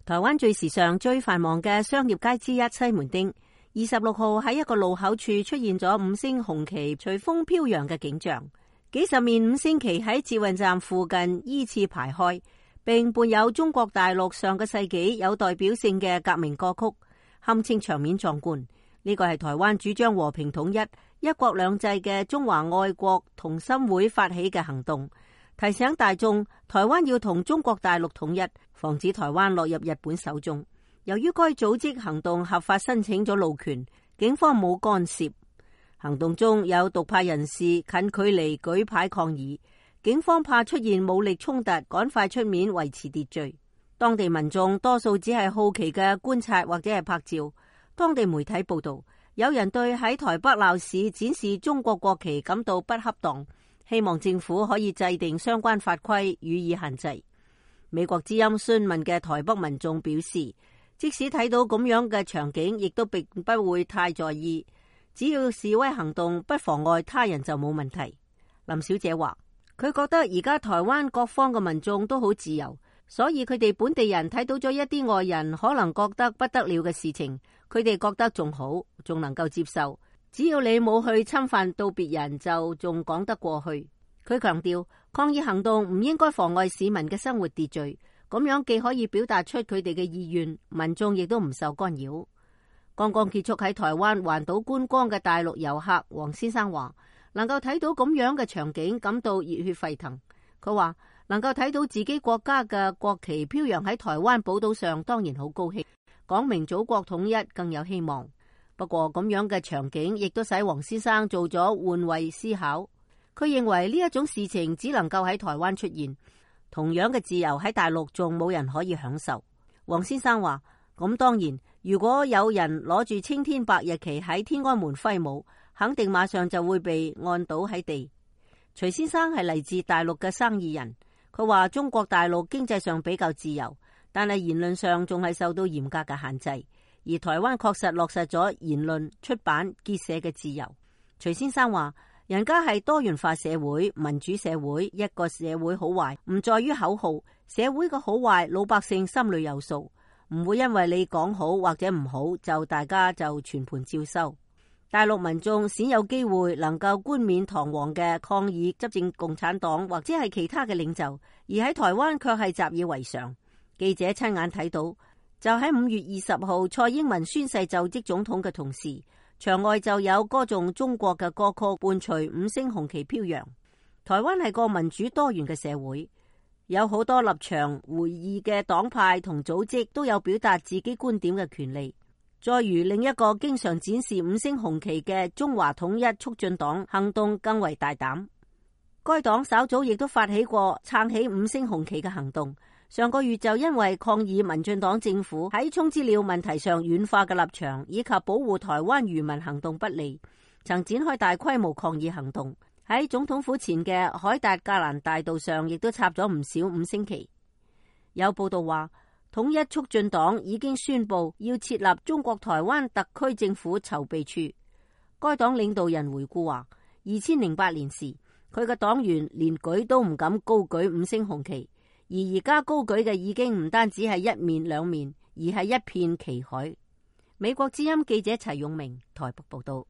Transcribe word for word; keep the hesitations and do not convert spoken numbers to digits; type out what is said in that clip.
台灣最時尚、最繁忙嘅商業街之一西門町，二十六號喺一個路口處出現咗五星紅旗隨風飄揚嘅景象，幾十面五星旗喺捷運站附近依次排開，並伴有中國大陸上個世紀有代表性嘅革命歌曲，堪稱場面壯觀。呢個係台灣主張和平統一、一國兩制嘅中華愛國同心會發起嘅行動，提醒大眾台灣要同中國大陸統一，防止台灣落入日本手中。由於該組織行動合法申請咗路權，警方冇干涉。行動中有獨派人士近距離舉牌抗議，警方怕出現武力衝突，趕快出面維持秩序。當地民眾多數只係好奇嘅觀察或者係拍照。當地媒體報道，有人對喺台北鬧市展示中國國旗感到不恰當，希望政府可以制定相關法規予以限制。美國之音詢問嘅台北民眾表示，即使睇到咁樣嘅場景，亦都並不會太在意，只要示威行動不妨礙他人就冇問題。林小姐話，佢覺得而家台灣各方嘅民眾都好自由，所以佢哋本地人睇到咗一啲外人可能覺得不得了嘅事情，佢哋覺得仲好，仲能夠接受。只要你冇去侵犯到別人，就仲講得過去。佢強調，抗議行動唔應該妨礙市民嘅生活秩序，咁樣既可以表達出佢哋嘅意願，民眾亦都唔受干擾。剛剛結束喺台灣環島觀光嘅大陸遊客黃先生話，能夠睇到咁樣嘅場景，感到熱血沸騰。佢話能夠睇到自己國家嘅國旗飄揚喺台灣寶島上，當然好高興，講明祖國統一更有希望。不過咁樣嘅場景亦都使黃先生做咗換位思考。佢認為呢一種事情只能夠喺台灣出現，同樣嘅自由喺大陸仲冇人可以享受。黃先生話，咁當然，如果有人攞住青天白日旗喺天安門揮舞，肯定馬上就會被按倒喺地。徐先生係嚟自大陸嘅生意人，佢話中國大陸經濟上比較自由，但係言論上仲係受到嚴格嘅限制，而台灣確實落實咗言論、出版、結社嘅自由。徐先生話，人家係多元化社會、民主社會，一個社會好壞唔在於口號，社會嘅好壞老百姓心裏有數，唔會因為你講好或者唔好就大家就全盤照收。大陸民眾鮮有機會能夠冠冕堂皇嘅抗議執政共產黨或者係其他嘅領袖，而喺台灣卻係習以為常。記者親眼睇到，就喺五月二十號蔡英文宣誓就職總統嘅同時，場外就有歌頌中國嘅歌曲伴隨五星紅旗飄揚。台灣係個民主多元嘅社會，有好多立場會議嘅黨派同組織都有表達自己觀點嘅權利。再如另一個經常展示五星紅旗嘅中華統一促進黨行動更為大膽，該黨稍早亦都發起過撐起五星紅旗嘅行動。上個月就因為抗議民進黨政府喺沖資料問題上軟化嘅立場，以及保護台灣漁民行動不利，曾展開大規模抗議行動。喺總統府前嘅凱達格蘭大道上亦都插咗唔少五星旗。有報道話，統一促進黨已經宣布要設立中國台灣特區政府籌備處。該黨領導人回顧話，二千零八年時佢嘅黨員連舉都唔敢高舉五星紅旗，而而家高舉嘅已經唔單止係一面兩面，而係一片旗海。美國之音記者齊永明台北報道。